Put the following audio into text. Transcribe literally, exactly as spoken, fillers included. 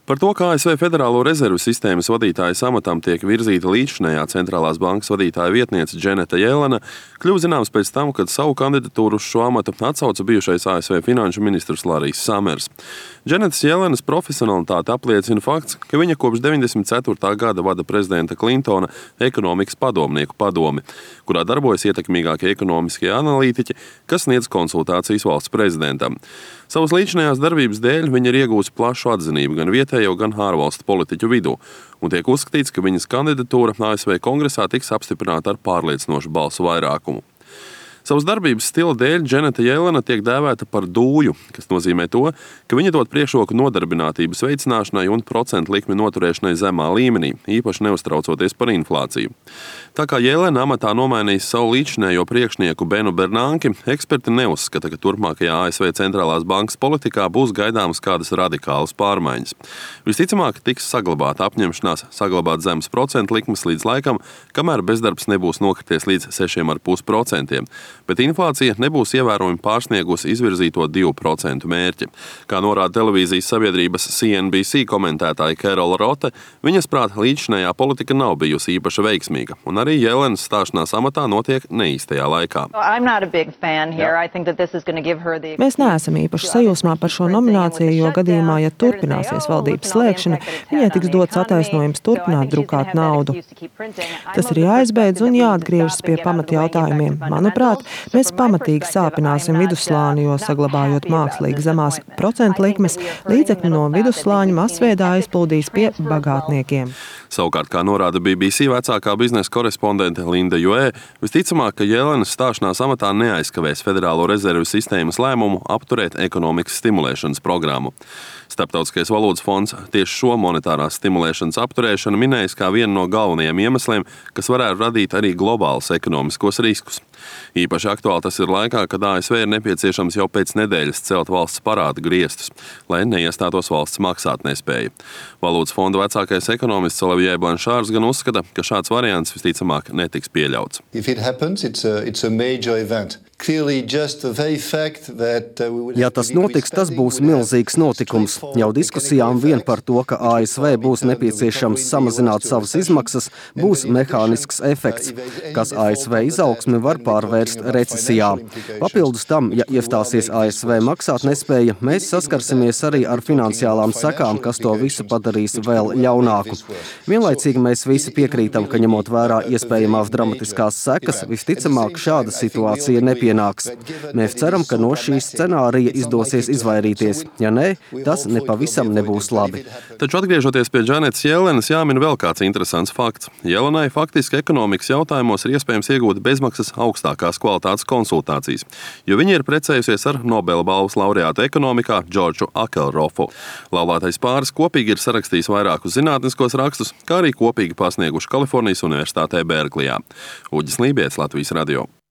Par to, kā A S V Federālo rezervu sistēmas vadītājas amatam tiek virzīta līdzinējā centrālās bankas vadītāja vietniece Dženeta Jelena, kļuva zināms pēc tam, kad savu kandidatūru uz šo amatu atsauca bijušais A S V finanšu ministrs Larijs Samers. Dženetas Jelenas profesionalitāti apliecina fakts, ka viņa kopš deviņdesmit ceturtā gada vada prezidenta Klintona ekonomikas padomnieku padomi, kurā darbojas ietekmīgākie ekonomiskie analītiķi, kas sniedz konsultācijas valsts prezidentam. Savas līdzinējās darbības dēļ viņa ir iegūsi plašu atzinību gan vietējo, gan ārvalstu politiķu vidū, un tiek uzskatīts, ka viņas kandidatūra A S V kongresā tiks apstiprināta ar pārliecinošu balsu vairākumu. Savas darbības stila dēļ Dženeta Jelena tiek dēvēta par dūju, kas nozīmē to, ka viņa dod priekšroku nodarbinātības veicināšanai un procentu likmi noturēšanai zemā līmenī, īpaši neuztraucoties par inflāciju. Tā kā Jelena amatā nomainījis savu līdzinējo priekšnieku Benu Bernanki, eksperti neuzskata, ka turpmākajā A S V centrālās bankas politikā būs gaidāmas kādas radikālas pārmaiņas. Visticamāk, tiks saglabāta apņemšanās saglabāt zemes procentu likmes līdz laikam, kamēr bezdarbs nebūs nokrities līdz sešiem ar pus procentiem. Bet inflācija nebūs ievērojami pārsniegusi izvirzīto divu procentu mērķi. Kā norāda televīzijas sabiedrības C N B C komentētāja Kerola Rote, viņas prāt līdzinējā politika nav bijusi īpaši veiksmīga, un arī Jelenas stāšanās amatā notiek neīstajā laikā. Mēs neesam īpaši sajūsmā par šo nomināciju, jo gadījumā, ja turpināsies valdības slēgšana, viņai tiks dots attaisnojums turpināt drukāt naudu. Tas ir jāizbeidz un jāatgriežas pie pamatjautājumiem. Manuprāt, mēs pamatīgi sāpināsim vidusslāni, jo saglabājot mākslīgi zemās procentu likmes, līdzekļi no vidusslāņa masveidā aizplūdīs pie bagātniekiem. Savukārt, kā norāda B B C vecākā biznesa korespondente Linda Joē, visticamāk, ka Jelenas stāšanās amatā neaizkavēs Federālo rezervu sistēmas lēmumu apturēt ekonomikas stimulēšanas programmu. Starptautiskais valūtas fonds tieši šo monetārās stimulēšanas apturēšanu minējis kā vienu no galvenajiem iemesliem, kas varētu radīt arī globālus ekonomiskos riskus. Īpaši aktuāli tas ir laikā, kad A S V ir nepieciešams jau pēc nedēļas celt valsts parāda griestus, lai neiestātos valsts maksātnespēja. Valūtas fonda vecākais ekonomists Olivier Blanchārs gan uzskata, ka šāds variants visticamāk netiks pieļauts. Ja tas notiks, tas būs milzīgs notikums. Jau diskusijām vien par to, ka A S V būs nepieciešams samazināt savas izmaksas, būs mehānisks efekts, kas A S V izaugsmi var pārvērst recesijā. Papildus tam, ja iestāsies A S V maksātnespēja, mēs saskarsimies arī ar finansiālām sekām, kas to visu padarīs vēl ļaunāku. Vienlaicīgi mēs visi piekrītam, ka ņemot vērā iespējamās dramatiskās sekas, visticamāk šāda situācija nepieciešama. Pienāks. Mēs ceram, ka no šīs scenārija izdosies izvairīties. Ja nē, tas nepavisam nebūs labi. Taču atgriežoties pie Dženetas Jelenas, jāmin vēl kāds interesants fakts. Jelenai faktiski ekonomikas jautājumos ir iespējams iegūt bezmaksas augstākās kvalitātes konsultācijas, jo viņa ir precējusies ar Nobela balvas laureātu ekonomikā Džordžu Akelrofu. Laulātais pāris kopīgi ir sarakstījis vairākus zinātniskos rakstus, kā arī kopīgi pasnieguši Kalifornijas Universitātē Berklijā. Uģis Lībijams, Latvijas radio.